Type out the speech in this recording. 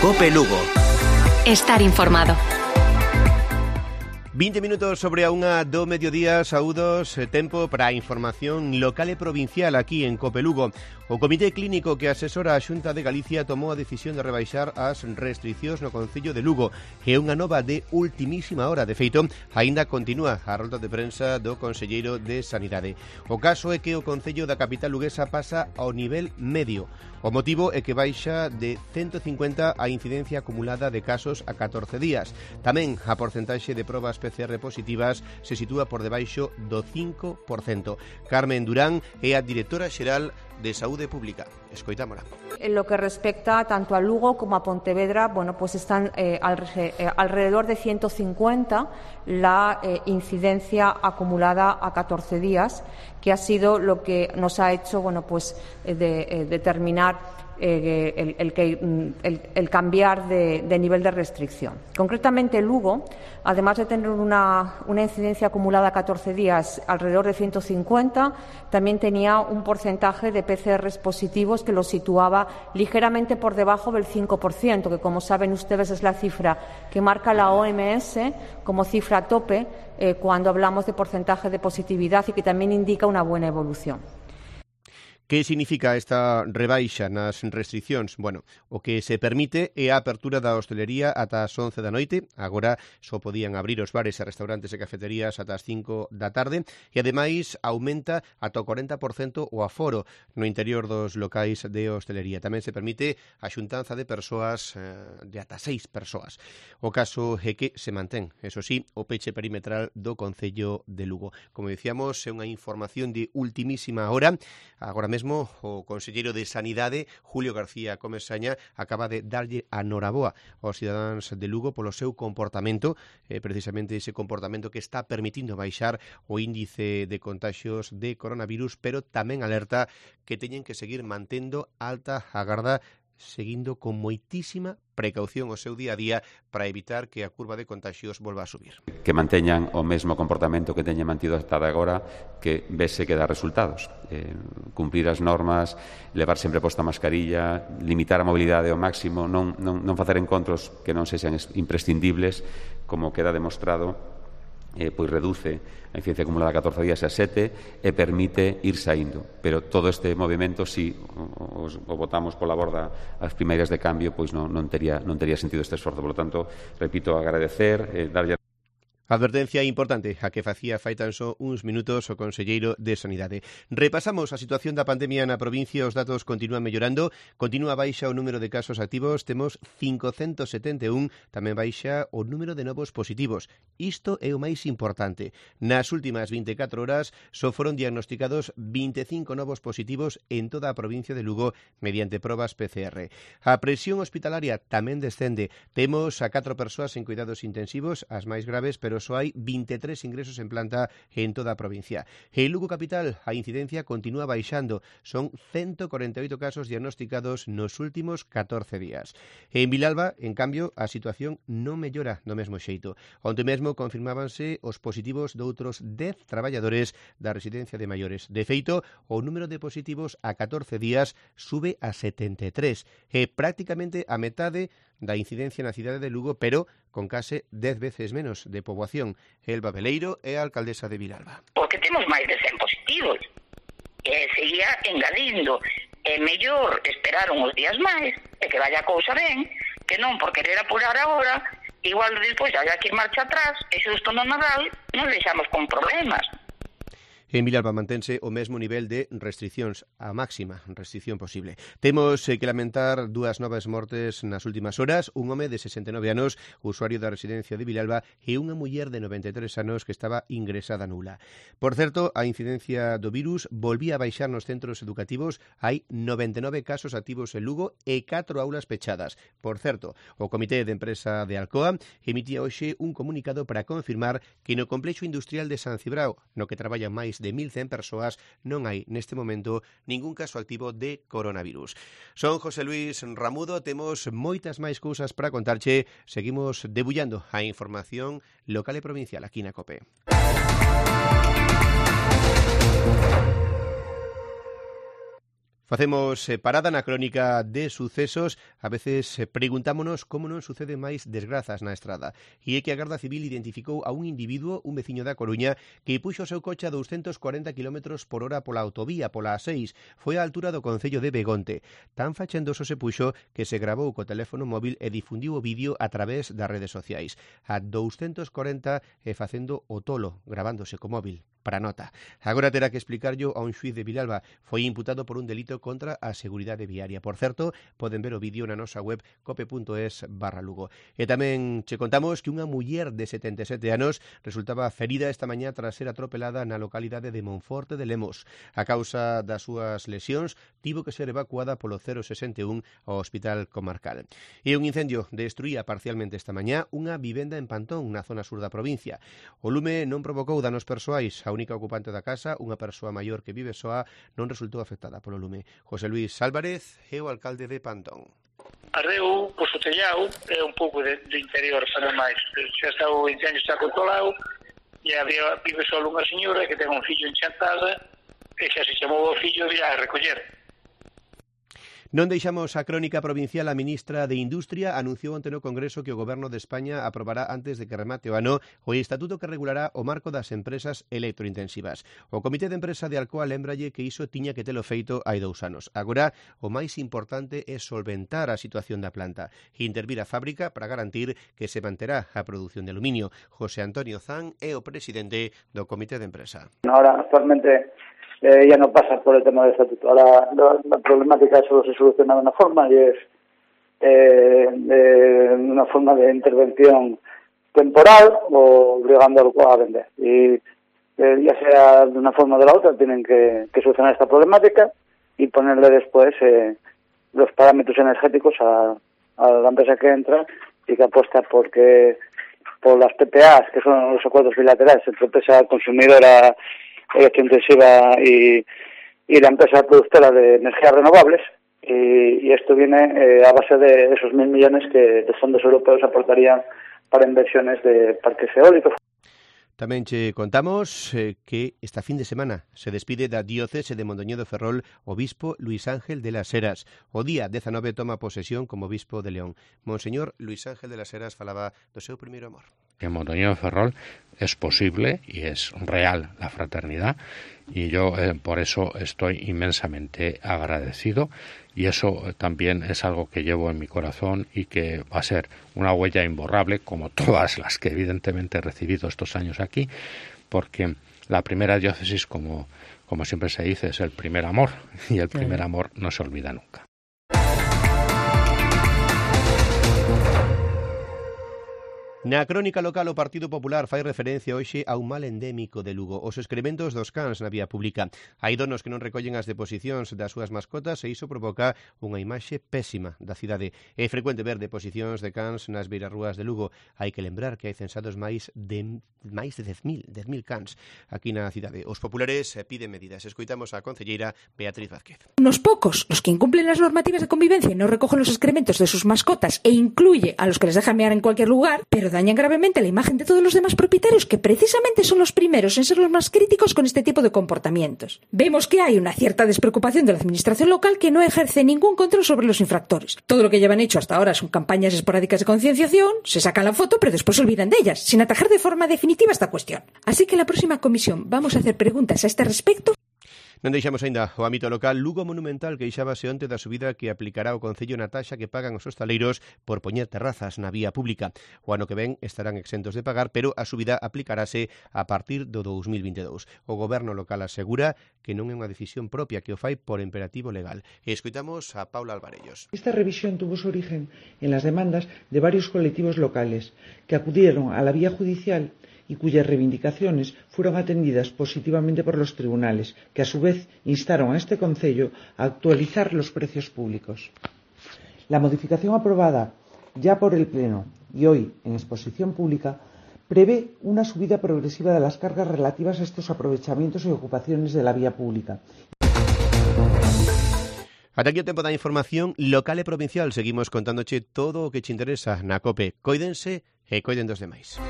COPE Lugo. Estar informado. 20 minutos sobre a unha do mediodía, saúdos, tempo para a información local e provincial aquí en COPE Lugo. O Comité Clínico que asesora a Xunta de Galicia tomou a decisión de rebaixar as restricións no Concello de Lugo. É unha nova de ultimísima hora. De feito, aínda continúa a rolda de prensa do Conselleiro de Sanidade. O caso é que o Concello da capital luguesa pasa ao nivel medio. O motivo é que baixa de 150 a incidencia acumulada de casos a 14 días. Tamén a porcentaxe de probas PCR positivas se sitúa por debaixo do 5%. Carmen Durán é a directora xeral de Saúde Pública. Escoitámola. En lo que respecta tanto a Lugo como a Pontevedra, pues están alrededor de 150 la incidencia acumulada a 14 días, que ha sido lo que nos ha hecho determinar el cambiar de nivel de restricción. Concretamente, Lugo, además de tener una incidencia acumulada a 14 días alrededor de 150, también tenía un porcentaje de PCRs positivos que lo situaba ligeramente por debajo del 5%, que, como saben ustedes, es la cifra que marca la OMS como cifra tope cuando hablamos de porcentaje de positividad y que también indica una buena evolución. Que significa esta rebaixa nas restriccións? Bueno, o que se permite é a apertura da hostelería ata as 11 da noite. Agora só podían abrir os bares e restaurantes e cafeterías ata as 5 da tarde e, ademais, aumenta ata o 40% o aforo no interior dos locais de hostelería. Tamén se permite a xuntanza de persoas de ata 6 persoas. O caso é que se mantén, eso sí, o peche perimetral do Concello de Lugo. Como dicíamos, é unha información de ultimísima hora. Agora mesmo o conselleiro de Sanidade, Julio García Comesaña, acaba de darlle a noraboa aos cidadáns de Lugo polo seu comportamento, precisamente ese comportamento que está permitindo baixar o índice de contaxios de coronavirus, pero tamén alerta que teñen que seguir mantendo alta a garda, seguindo con moitísima precaución o seu día a día para evitar que a curva de contagios volva a subir. Que manteñan o mesmo comportamento que teñen mantido hasta agora, que vese que dá resultados. Cumprir as normas, levar sempre posta a mascarilla, limitar a mobilidade ao máximo, non facer encontros que non sexan imprescindibles, como queda demostrado, pois reduce a incidencia acumulada a 14 días a 7 e permite ir saindo. Pero todo este movimento, si o botamos pola borda as primeiras de cambio, pois non tería sentido este esforzo. Por lo tanto, repito, agradecer, darlle Advertencia importante a que facía fai tan só uns minutos o conselleiro de Sanidade. Repasamos a situación da pandemia na provincia, os datos continúan mellorando, continúa baixa o número de casos activos, temos 571, tamén baixa o número de novos positivos. Isto é o máis importante. Nas últimas 24 horas só foron diagnosticados 25 novos positivos en toda a provincia de Lugo mediante probas PCR. A presión hospitalaria tamén descende. Temos a 4 persoas en cuidados intensivos, as máis graves, pero só hai 23 ingresos en planta en toda a provincia. En Lugo capital, a incidencia continúa baixando. Son 148 casos diagnosticados nos últimos 14 días. En Vilalba, en cambio, a situación non mellora do mesmo xeito. Onte mesmo confirmábanse os positivos de outros 10 traballadores da residencia de maiores. De feito, o número de positivos a 14 días sube a 73. É prácticamente a metade da incidencia na cidade de Lugo, pero con case 10 veces menos de poboación. Elba Veleiro é a alcaldesa de Vilalba. Porque temos máis de 100 positivos. Seguía engadindo. É mellor esperar uns días máis e que vaya a cousa ben, que non por querer apurar agora, igual despois haya que ir marcha atrás, e xusto no Nadal nos deixamos con problemas. En Vilalba mantense o mesmo nivel de restriccións, a máxima restricción posible. Temos que lamentar dúas novas mortes nas últimas horas, un home de 69 anos, usuario da residencia de Vilalba, e unha muller de 93 anos que estaba ingresada nula. Por certo, a incidencia do virus volvía a baixar nos centros educativos, hai 99 casos activos en Lugo e 4 aulas pechadas. Por certo, o Comité de Empresa de Alcoa emitía hoxe un comunicado para confirmar que no complexo industrial de San Cibrao, no que traballan máis de 1.100 persoas, non hai neste momento ningún caso activo de coronavirus. Son José Luis Ramudo, temos moitas máis cousas para contarche. Seguimos debullando a información local e provincial aquí na COPE. Facemos parada na crónica de sucesos. A veces preguntámonos como non sucede máis desgrazas na estrada. E é que a Garda Civil identificou a un individuo, un veciño da Coruña, que puxo o seu coche a 240 km por hora pola autovía, pola A6. Foi á altura do concello de Begonte. Tan fachendoso se puxo que se gravou co teléfono móvil e difundiu o vídeo a través das redes sociais. A 240 e facendo o tolo, gravándose co móvil. Para nota. Agora terá que explicarllo a un xuiz de Vilalba. Foi imputado por un delito contra a seguridade viaria. Por certo, poden ver o vídeo na nosa web cope.es/Lugo. E tamén che contamos que unha muller de 77 anos resultaba ferida esta mañá tras ser atropelada na localidade de Monforte de Lemos. A causa das súas lesións tivo que ser evacuada polo 061 ao Hospital Comarcal. E un incendio destruía parcialmente esta mañá unha vivenda en Pantón, na zona sur da provincia. O lume non provocou danos persoais. A única ocupante da casa, unha persoa maior que vive soa, non resultou afectada polo lume. José Luis Álvarez é o alcalde de Pantón. Ardeu, pois o tellado, é un pouco de interior, sabe máis. Xa está o incendio está controlado, e vive só unha señora que ten un fillo en Chantada, e xa se chamou o fillo de a recoller. Non deixamos a crónica provincial. A ministra de Industria anunciou onte no Congreso que o Goberno de España aprobará antes de que remate o ano o estatuto que regulará o marco das empresas electrointensivas. O Comité de Empresa de Alcoa lembralle que iso tiña que telo feito hai 2 anos. Agora, o máis importante é solventar a situación da planta e intervir a fábrica para garantir que se manterá a produción de aluminio. José Antonio Zan é o presidente do Comité de Empresa. Ahora, actualmente, ya no pasa por el tema del estatuto. Ahora la problemática solo se soluciona de una forma y es una forma de intervención temporal o obligando a vender. Y ya sea de una forma o de la otra, tienen que solucionar esta problemática y ponerle después los parámetros energéticos a la empresa que entra y que apuesta por las PPAs, que son los acuerdos bilaterales entre empresa consumidora electrointensiva y la empresa productora de energías renovables, y esto viene a base de esos 1.000 millones que los fondos europeos aportarían para inversiones de parques eólicos. Tamén che contamos que esta fin de semana se despide da diocese de Mondoñedo Ferrol o bispo Luis Ángel de las Heras. O día 19 toma posesión como bispo de León. Monseñor Luis Ángel de las Heras falaba do seu primeiro amor. En Mondoñedo Ferrol es posible y es real la fraternidad, y yo por eso estoy inmensamente agradecido, y eso también es algo que llevo en mi corazón y que va a ser una huella imborrable, como todas las que evidentemente he recibido estos años aquí, porque la primera diócesis, como siempre se dice, es el primer amor, y el primer amor no se olvida nunca. Na crónica local, o Partido Popular fai referencia hoxe a un mal endémico de Lugo, os excrementos dos cans na vía pública. Hai donos que non recollen as deposicións das súas mascotas e iso provoca unha imaxe pésima da cidade. É frecuente ver deposicións de cans nas beirarrúas de Lugo. Hai que lembrar que hai censados máis de 10.000 cans aquí na cidade. Os populares piden medidas. Escoitamos a concelleira Beatriz Vázquez. Unos pocos, los que incumplen las normativas de convivencia y no recogen los excrementos de sus mascotas e incluye a los que les dejan mear en cualquier lugar, pero dañan gravemente la imagen de todos los demás propietarios, que precisamente son los primeros en ser los más críticos con este tipo de comportamientos. Vemos que hay una cierta despreocupación de la administración local, que no ejerce ningún control sobre los infractores. Todo lo que llevan hecho hasta ahora son campañas esporádicas de concienciación, se sacan la foto pero después se olvidan de ellas, sin atajar de forma definitiva esta cuestión. Así que en la próxima comisión vamos a hacer preguntas a este respecto. Non deixamos aínda o ámbito local. Lugo Monumental queixábase onte da subida que aplicará o Concello na taxa que pagan os hostaleiros por poñer terrazas na vía pública. O ano que ven estarán exentos de pagar, pero a subida aplicarase a partir do 2022. O goberno local asegura que non é unha decisión propia, que o fai por imperativo legal. E escoitamos a Paula Alvarellos. Esta revisión tuvo su origen en las demandas de varios colectivos locales que acudieron a la vía judicial y cuyas reivindicaciones fueron atendidas positivamente por los tribunales, que a su vez instaron a este concello a actualizar los precios públicos. La modificación aprobada ya por el Pleno y hoy en exposición pública prevé una subida progresiva de las cargas relativas a estos aprovechamientos y ocupaciones de la vía pública. Ata aquí o tempo da información local e provincial. Seguimos contándoche todo o que te interesa na COPE. Coídense e coiden dos demais.